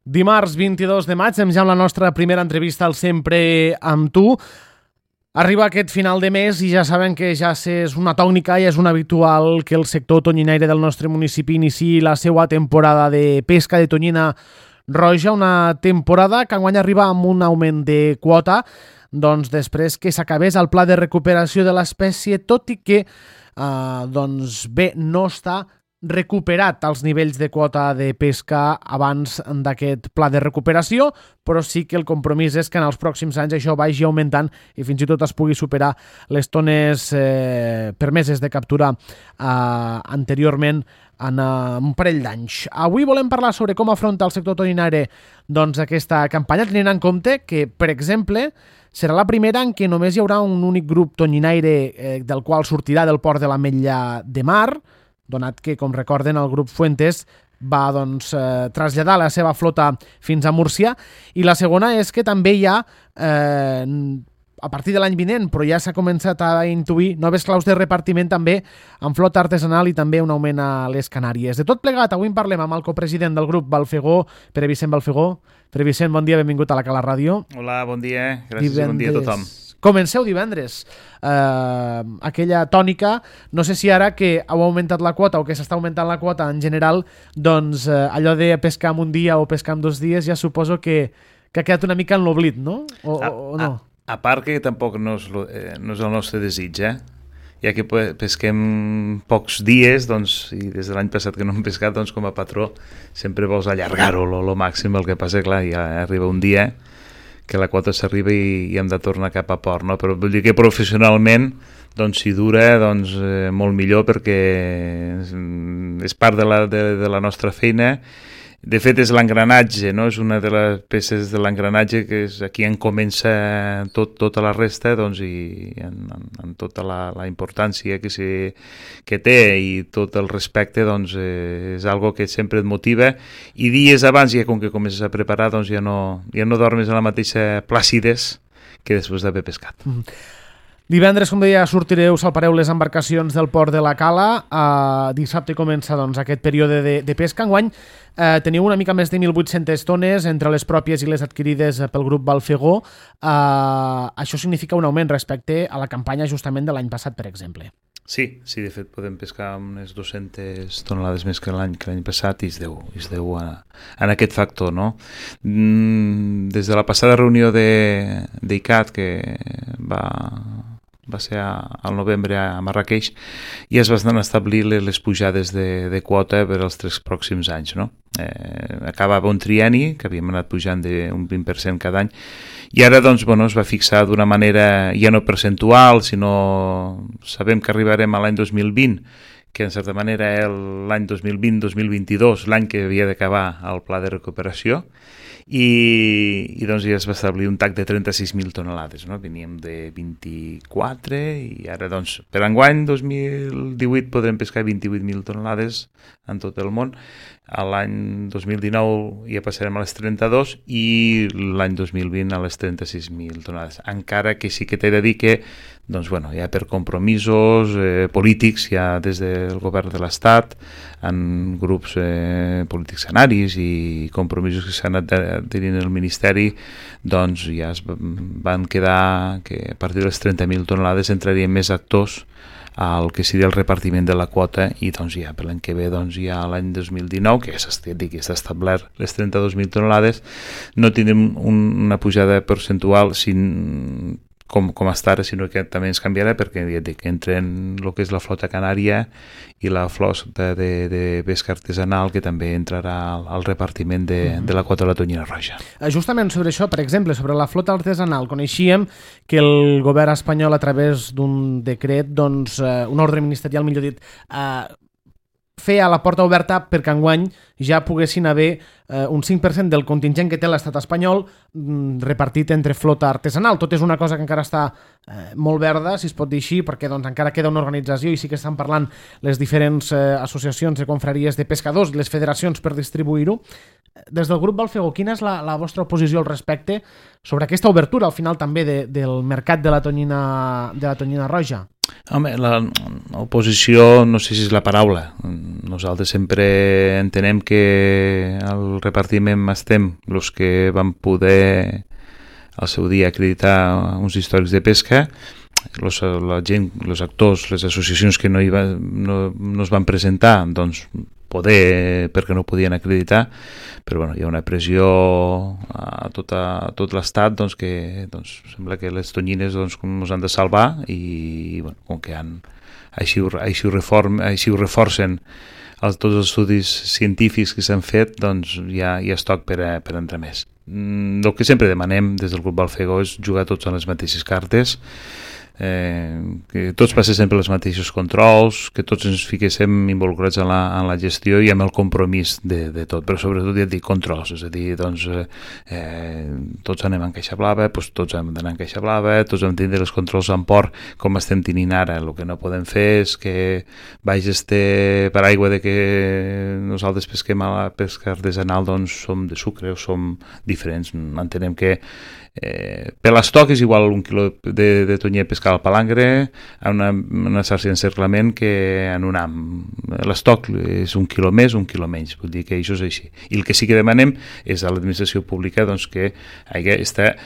Dimarts 22 de maig, ja amb la nostra primera entrevista al Sempre amb tu. Arriba aquest final de mes i ja saben que ja és una tònica i és un habitual que el sector tonyinaire del nostre municipi iniciï la seva temporada de pesca de tonyina roja, una temporada que enguany arriba amb un augment de quota, doncs després que s'acabés el pla de recuperació de l'espècie, tot i que no està recuperat els nivells de quota de pesca abans d'aquest pla de recuperació, però sí que el compromís és que en els pròxims anys això vagi augmentant i fins i tot es pugui superar les tones permeses de captura anteriorment en un parell d'anys. Avui volem parlar sobre com afronta el sector tonyinaire aquesta campanya, tenint en compte que, per exemple, serà la primera en què només hi haurà un únic grup tonyinaire del qual sortirà del port de l'Ametlla de Mar, donat que, com recorden, el grup Fuentes va traslladar la seva flota fins a Múrcia, i la segona és que també hi ha, a partir de l'any vinent, però ja s'ha començat a intuir noves claus de repartiment també amb flota artesanal i també un augment a les Canàries. De tot plegat, avui en parlem amb el copresident del grup Balfegó, Pere Vicent Balfegó. Pere Vicent, bon dia, benvingut a la Cala Ràdio. Hola, bon dia, gràcies i bon dia a tothom. Comenceu divendres. Aquella tònica, no sé si ara que heu augmentat la quota o que s'està augmentant la quota en general, doncs allò de pescar en un dia o pescar en 2 dies ja suposo que ha quedat una mica en l'oblit, no? O no? A part que tampoc no és el nostre desig, ja que pesquem pocs dies, doncs, i des de l'any passat que no hem pescat, doncs com a patró sempre vols allargar-ho lo màxim. El que passa, clar, ja arriba un dia que la quota s'arriba i hem de tornar cap a port, no? Però vull dir que professionalment, doncs, si dura, doncs, molt millor, perquè és part de la nostra feina. De fet, és l'engranatge, no? És una de les peces de l'engranatge que és aquí on comença tota la resta, doncs, i en tota la importància que té i tot el respecte, doncs, és algo que sempre et motiva, i dies abans, ja com que comences a preparar, doncs ja no dormes en la mateixa plàcides que després d'haver pescat. Divendres, com deia, salpareu les embarcacions del port de la Cala. Dissabte comença aquest període de pesca. Enguany teniu una mica més de 1.800 tones entre les pròpies i les adquirides pel grup Balfegó. Això significa un augment respecte a la campanya justament de l'any passat, per exemple. Sí, de fet podem pescar unes 200 tonelades més que l'any passat, i es deu en aquest factor, no? Des de la passada reunió d'ICAT, que va ser al novembre a Marrakeix, i es van establir les pujades de quota per als 3 pròxims anys, no? Acabava un trienni, que havíem anat pujant d'un 20% cada any, i ara doncs, es va fixar d'una manera ja no percentual, sinó sabem que arribarem a l'any 2020, que en certa manera l'any 2020-2022, l'any que havia d'acabar el pla de recuperació, i doncs ja es va establir un TAC de 36.000 tonelades, no? Veníem de 24 i ara doncs per enguany 2018 podrem pescar 28.000 tonelades en tot el món. A l'any 2019 ja passarem a les 32 i l'any 2020 a les 36.000 tonelades. Encara que sí que t'he de dir que doncs, ja per compromisos polítics, ja des del govern de l'Estat, en grups polítics canaris i compromisos que s'han anat tenint el Ministeri, doncs ja es van quedar que a partir de les 30.000 tonelades entrarien més actors al que seria el repartiment de la quota, i doncs ja per l'any que ve, doncs ja l'any 2019, que s'ha establert les 32.000 tonelades, no tindrem una pujada percentual com està ara, sinó que també ens canviarà, perquè ja dic, entren el que és la flota canària i la flota de pesca artesanal, que també entrarà al repartiment de la quota de la tonyina roja. Justament sobre això, per exemple, sobre la flota artesanal, coneixíem que el govern espanyol, a través d'un decret, doncs, un ordre ministerial, millor dit, feia la porta oberta perquè enguany ja poguessin haver un 5% del contingent que té l'estat espanyol repartit entre flota artesanal. Tot és una cosa que encara està molt verda, si es pot dir així, perquè doncs, encara queda una organització i sí que estan parlant les diferents associacions de confraries de pescadors, les federacions, per distribuir-ho. Des del grup Balfegó, quina és la vostra posició al respecte sobre aquesta obertura al final també del mercat de la tonyina roja? Home, l'oposició no sé si és la paraula. Nosaltres sempre entenem que al repartiment estem els que van poder al seu dia acreditar uns històrics de pesca, la gent, els actors, les associacions que no es van presentar, doncs poder perquè no podien acreditar, però bueno, hi ha una pressió a tot l'estat, doncs, que sembla que les tonyines ens han de salvar i bueno, com que així ho reforcen tots els estudis científics que s'han fet, doncs ja és toc per entrar més. El que sempre demanem des del grup Balfegó és jugar tots en les mateixes cartes, que tots passessin per els mateixos controls, que tots ens fiquéssim involucrats en la gestió i amb el compromís de tot, però sobretot ja et dic controls, és a dir, doncs tots anem en caixa blava, doncs tots hem d'anar en caixa blava, tots hem de tindre els controls en port com estem tenint ara. El que no podem fer és que vaig per aigua de que nosaltres pesquem a la pesca artesanal, doncs som de sucre o som diferents. Entenem que per l'estoc és igual un quilo de tonyer pescar al palangre a una xarxa d'encerclament que en un ham. L'estoc és un quilo més, un quilo menys, vull dir que això és així. I el que sí que demanem és a l'administració pública doncs, que hi hagi aquesta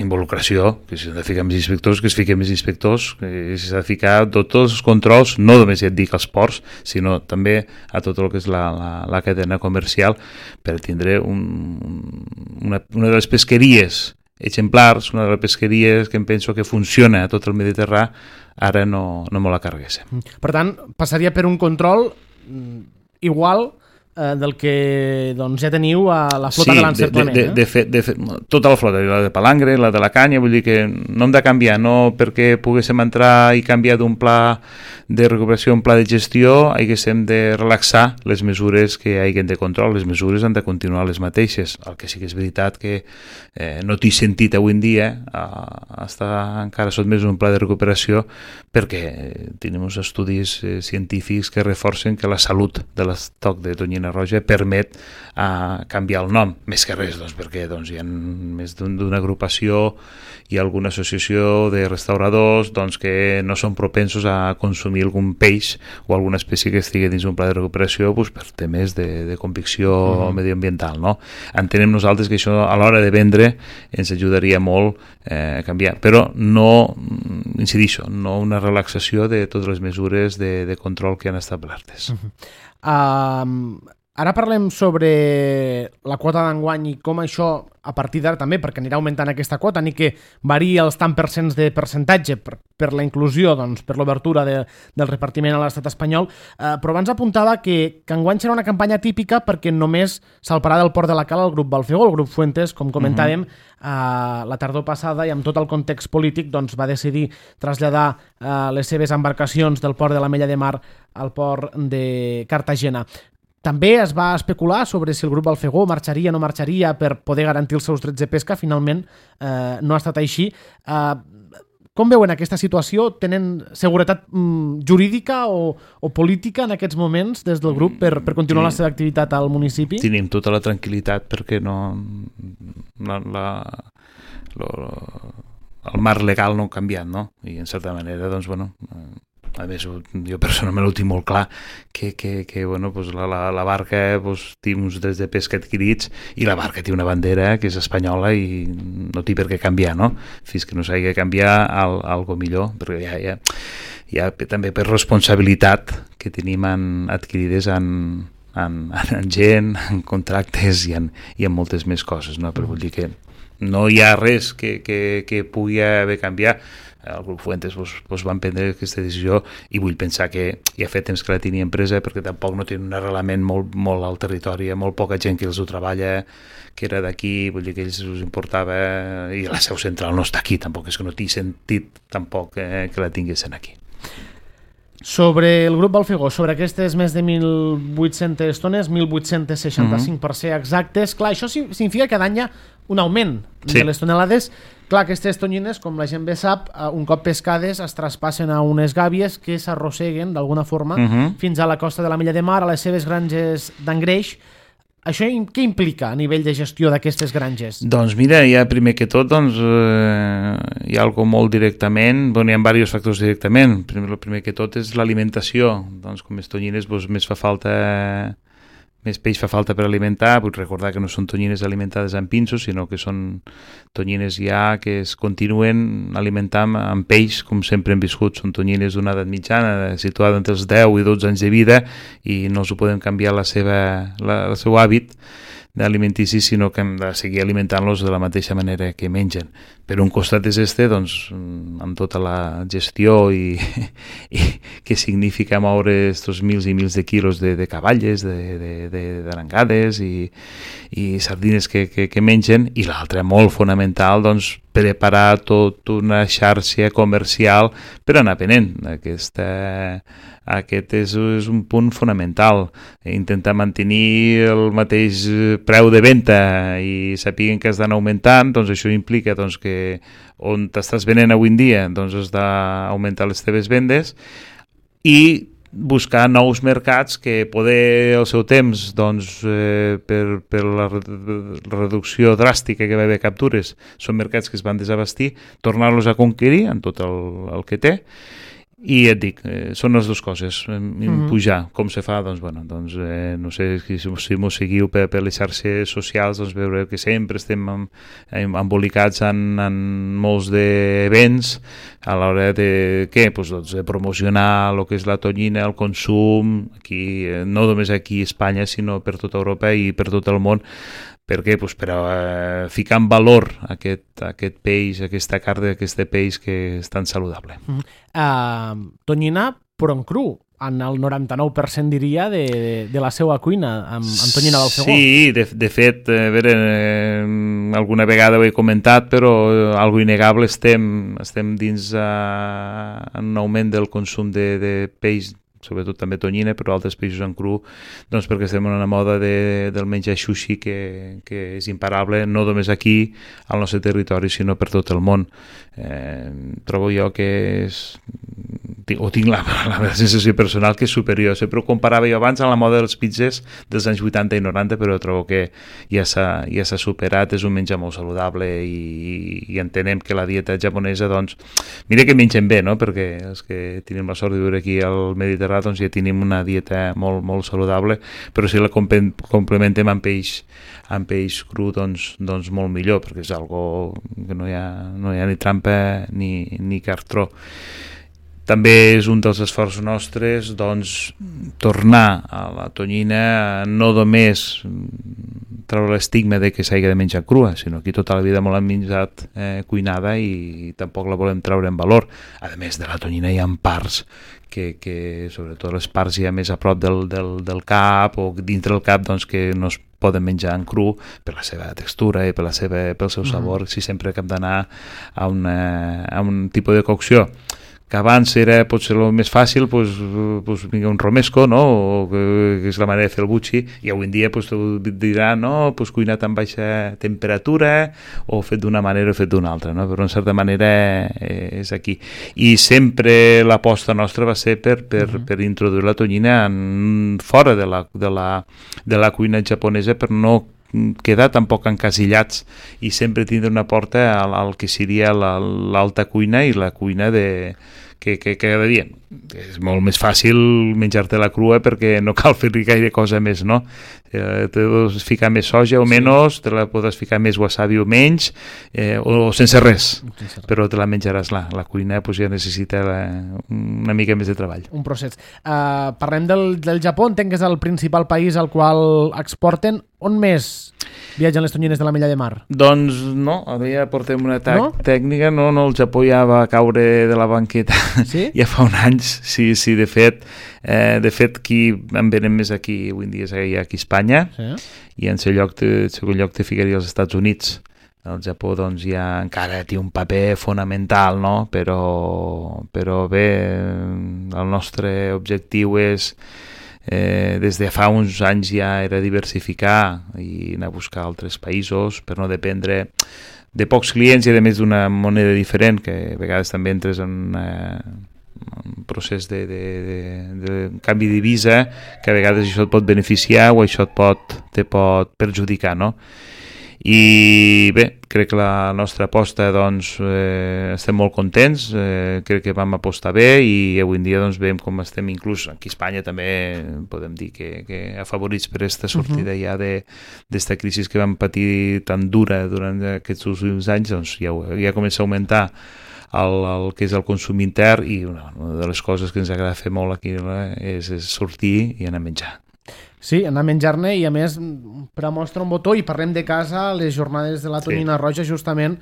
involucració, que si s'ha de ficar més inspectors, que es fiquen més inspectors, que s'ha de ficar tots els controls, no només ja et dic als ports, sinó també a tot el que és la cadena comercial, per tindre una de les pesqueries exemplars, una de les pesqueries que em penso que funciona a tot el Mediterrani, ara no me la carreguéssim. Per tant, passaria per un control igual del que doncs, ja teniu a la flota de l'encerclament. De fet, tota la flota, la de palangre, la de la canya, vull dir que no hem de canviar, no perquè poguéssim entrar i canviar d'un pla de recuperació a un pla de gestió, haguéssim de relaxar les mesures que hi hagin de control, les mesures han de continuar les mateixes. El que sí que és veritat que no t'hi sentit avui en dia estar encara sotmès a un pla de recuperació perquè tenim uns estudis científics que reforcen que la salut de l'estoc de tonyina roja permet canviar el nom, més que res, doncs, perquè hi ha més d'una agrupació i alguna associació de restauradors doncs, que no són propensos a consumir algun peix o alguna espècie que estigui dins un pla de recuperació doncs, per temes de convicció medioambiental. No? Entenem nosaltres que això a l'hora de vendre ens ajudaria molt a canviar, però no, incidixo, no una relaxació de totes les mesures de control que han establertes. Ara parlem sobre la quota d'enguany i com això, a partir d'ara també, perquè anirà augmentant aquesta quota, ni que varia els tant percents de percentatge per la inclusió, doncs, per l'obertura del repartiment a l'estat espanyol, però abans apuntava que enguany serà una campanya típica perquè només salparà del port de la Cala el grup Balfegó, el grup Fuentes, com comentàvem, la tardor passada i amb tot el context polític doncs, va decidir traslladar les seves embarcacions del port de l'Ametlla de Mar al port de Cartagena. També es va especular sobre si el grup Balfegó marxaria o no marxaria per poder garantir els seus drets de pesca. Finalment no ha estat així. Com veuen aquesta situació? Tenen seguretat jurídica o política en aquests moments des del grup per continuar la seva activitat al municipi? Tenim tota la tranquil·litat perquè el marc legal no ha canviat, no? I en certa manera, doncs, bueno... A més, jo personalment ho tinc molt clar que bueno, pues la barca pues, té uns drets de pesca adquirits i la barca té una bandera que és espanyola i no té per què canviar, no? Fins que no s'hagi de canviar algo millor, perquè ja també per responsabilitat que tenim adquirides en gent, en contractes i en moltes més coses, no? Però vull dir que no hi ha res que pugui haver canviat. El grup Fuentes van prendre aquesta decisió i vull pensar que ja fa temps que la tenia empresa perquè tampoc no tenen un arrelament molt al territori, hi ha molt poca gent que els ho treballa, que era d'aquí, vull dir que ells us importava i la seu central no està aquí, tampoc és que no t'hi sentit tampoc que la tinguessin aquí. Sobre el grup Balfegó, sobre aquestes més de 1.800 tones, 1.865 per ser exactes, clar, això significa que cada any hi ha un augment de les tonelades. Clar, aquestes tonyines, com la gent bé sap, un cop pescades es traspassen a unes gàbies que s'arrosseguen d'alguna forma fins a la costa de l'Ametlla de Mar, a les seves granges d'engreix. Això què implica a nivell de gestió d'aquestes granges? Doncs mira, ja primer que tot hi ha algo molt directament, hi ha diversos factors directament. El primer que tot és l'alimentació. Doncs com més tonyines més peix fa falta per alimentar. Vull recordar que no són tonyines alimentades amb pinços, sinó que són tonyines ja que es continuen alimentant amb peix, com sempre hem viscut. Són tonyines d'una edat mitjana, situada entre els 10 i 12 anys de vida, i no els ho podem canviar el seu hàbit alimentici, sinó que hem de seguir alimentant-los de la mateixa manera que mengen. Per un costat és doncs, amb tota la gestió i que significa moure estos mils i mils de quilos de cavalles, d'arengades i sardines que mengen, i l'altre molt fonamental, doncs, preparar tota una xarxa comercial per anar venent. Aquest és un punt fonamental. Intentar mantenir el mateix preu de venda i sapiguen que has d'anar augmentant, doncs això implica doncs, que on t'estàs venent avui en dia doncs has d'augmentar les teves vendes i buscar nous mercats que poder al seu temps doncs, per la reducció dràstica que va haver captures, són mercats que es van desabastir, tornar-los a conquerir en tot el que té. I et dic, són les dues coses. Pujar, com se fa? Doncs, no sé si m'ho seguiu per les xarxes socials, doncs veureu que sempre estem embolicats en molts d'events a l'hora de de promocionar el que és la tonyina, el consum, aquí, no només aquí a Espanya, sinó per tota Europa i per tot el món. Per què? Per ficar en valor aquest peix, aquesta carn d'aquest peix que és tan saludable. Tonyina, però en cru, en el 99% diria de la seva cuina, amb tonyina del segó. Sí, de fet, a veure, alguna vegada ho he comentat, però algo innegable estem dins en un augment del consum de peix, sobretot també tonyina, però altres peixos en cru, doncs perquè estem en una moda del menjar sushi que és imparable, no només aquí, al nostre territori, sinó per tot el món. Trobo jo que tinc la sensació personal que és superior. Sempre ho comparava jo abans a la moda dels pizzas dels anys 80 i 90, però trobo que ja s'ha superat, és un menjar molt saludable i entenem que la dieta japonesa, doncs, mira que mengen bé, no? Perquè els que tenim la sort de viure aquí al Mediterrani, doncs ja tenim una dieta molt, molt saludable, però si la complementem amb peix cru, doncs molt millor, perquè és algo que no hi ha ni trampa ni cartró. També és un dels esforços nostres, doncs, tornar a la tonyina, no només treure l'estigma de que s'hagi de menjar crua, sinó que tota la vida molt hem menjat cuinada i tampoc la volem treure en valor. A més de la tonyina hi ha parts que sobretot les parts ja més a prop del cap o dintre del cap, doncs, que no es poden menjar en cru per la seva textura i pel seu sabor, si sempre que hem d'anar a un tipus de cocció que abans era potser el més fàcil, un romesco, no? O que és la manera de fer el buchi, i avui en dia t'ho dirà, no? Cuinat amb baixa temperatura o fet d'una manera o fet d'una altra, no? Però en certa manera és aquí. I sempre l'aposta nostra va ser per introduir la tonyina fora de la cuina japonesa, per no quedar tampoc encasillats i sempre tindre una porta al que seria l'alta cuina i la cuina que cada dia és molt més fàcil menjar-te-la crua perquè no cal fer-hi gaire cosa més, no? Te pots ficar més soja o menys, te la pots ficar més wasabi o menys, o sense res, però te la menjaràs. La cuina ja necessita una mica més de treball. Un procés. Parlem del Japó, entenc que és el principal país al qual exporten. On més viatgen les tonyines de la Mella de Mar? Doncs no, ja portem una tècnica, no, el Japó ja va caure de la banqueta ja fa un any. Sí, de fet qui en venen més aquí avui en dia és aquí a Espanya, i en segon lloc te ficaria als Estats Units. El Japó doncs ja encara té un paper fonamental, no? Però bé, el nostre objectiu és des de fa uns anys ja era diversificar i anar a buscar altres països per no dependre de pocs clients i a més d'una moneda diferent, que a vegades també entres en un procés de canvi de divisa, que a vegades això et pot beneficiar o això te pot perjudicar, no? I bé, crec que la nostra aposta doncs, estem molt contents, crec que vam apostar bé i avui en dia doncs, veiem com estem, inclús aquí a Espanya també podem dir que afavorits per aquesta sortida ja d'esta crisi que vam patir tan dura durant aquests últims anys, doncs ja comença a augmentar el que és el consum intern i una de les coses que ens agrada fer molt aquí és sortir i anar a menjar. Sí, anar a menjar-ne i a més per a mostra un botó i parlem de casa, les jornades de la tonyina roja justament,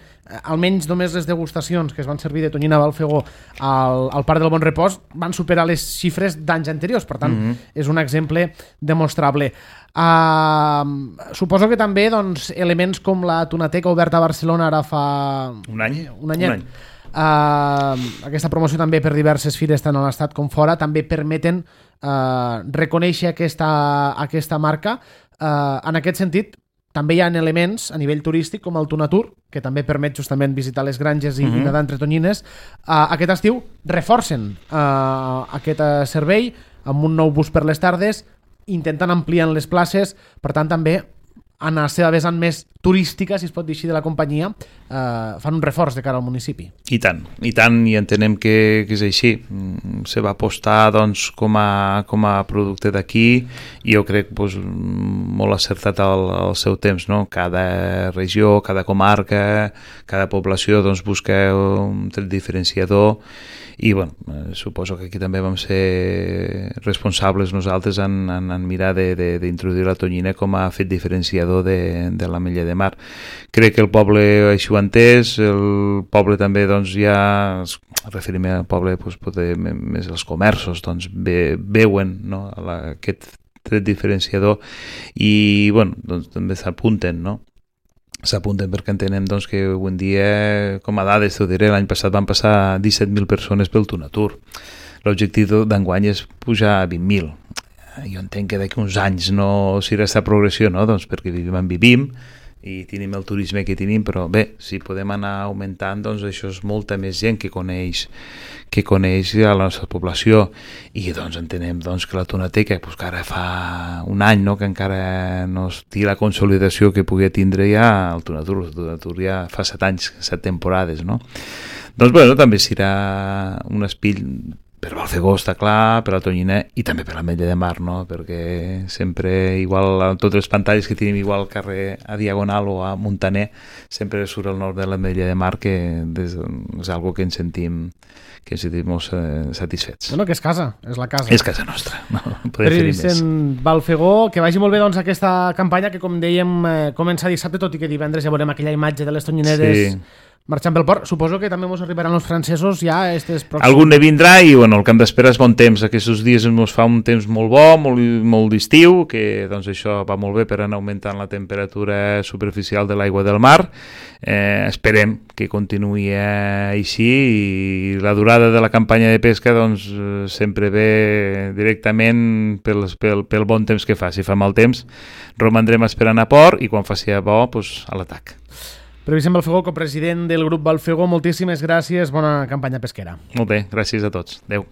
almenys només les degustacions que es van servir de tonyina Balfegó al Parc del Bon Repòs van superar les xifres d'anys anteriors, per tant és un exemple demostrable. Suposo que també doncs, elements com la Tonateca oberta a Barcelona ara fa un any. Aquesta promoció també per diverses fires tant a l'estat com fora també permeten reconèixer aquesta marca. En aquest sentit també hi ha elements a nivell turístic com el Tonatur, que també permet justament visitar les granges i nedar entre tonyines. Aquest estiu reforcen aquest servei amb un nou bus per les tardes, intentant ampliar les places, per tant també en la seva vessant més turística, si es pot dir així, de la companyia, fan un reforç de cara al municipi. I tant, i entenem que és així. Se va apostar doncs, com a producte d'aquí i jo crec doncs, molt acertat al seu temps. No? Cada regió, cada comarca, cada població doncs, busca un tret diferenciador i bueno, suposo que aquí també vam ser responsables nosaltres en mirar d'introduir la tonyina com a fet diferenciador de l'Ametlla de Mar. Crec que el poble així ho ha entès, el poble també doncs, ja, referim al poble doncs, més els comerços, doncs, veuen no, aquest tret diferenciador i bueno, doncs, també s'apunten, no? S'apunten perquè entenem doncs, que avui en dia, com a dades, t'ho diré, l'any passat van passar 17.000 persones pel Tonatur. L'objectiu d'enguany és pujar a 20.000. Jo entenc que d'aquí uns anys no serà aquesta progressió, no? Doncs perquè vivim i tenim el turisme que tenim, però bé, si podem anar augmentant, doncs això és molta més gent que coneix a la nostra població i doncs entenem doncs, que la Tonateca, doncs, que ara fa un any no, que encara no té la consolidació que podia tindre ja el Tonatur ja fa 7 anys, 7 temporades, no? Doncs bueno, també serà un espill per Balfegó, està clar, per la tonyina i també per l'Ametlla de Mar, no? Perquè sempre, igual, a totes les pantalles que tenim igual al carrer a Diagonal o a Montaner, sempre surt el nom de l'Ametlla de Mar, que és algo que ens sentim molt satisfets. Bueno, que és casa, és la casa. És casa nostra, no podem fer més. Balfegó, que vagi molt bé doncs, aquesta campanya que, com dèiem, comença dissabte, tot i que divendres ja veurem aquella imatge de les tonyineres marxant pel port. Suposo que també ens arribaran els francesos ja estes pròxims... Algun ne vindrà i bueno, el que hem d'esperar és bon temps. Aquests dies ens fa un temps molt bo, molt d'estiu, que doncs, això va molt bé per anar augmentant la temperatura superficial de l'aigua del mar. Esperem que continuï així i la durada de la campanya de pesca doncs, sempre ve directament pel bon temps que fa. Si fa mal temps, romandrem esperant a port i quan faci bo, doncs, a l'atac. Pere Vicent Balfegó, copresident del grup Balfegó, moltíssimes gràcies, bona campanya pesquera. Molt bé, gràcies a tots. Adéu.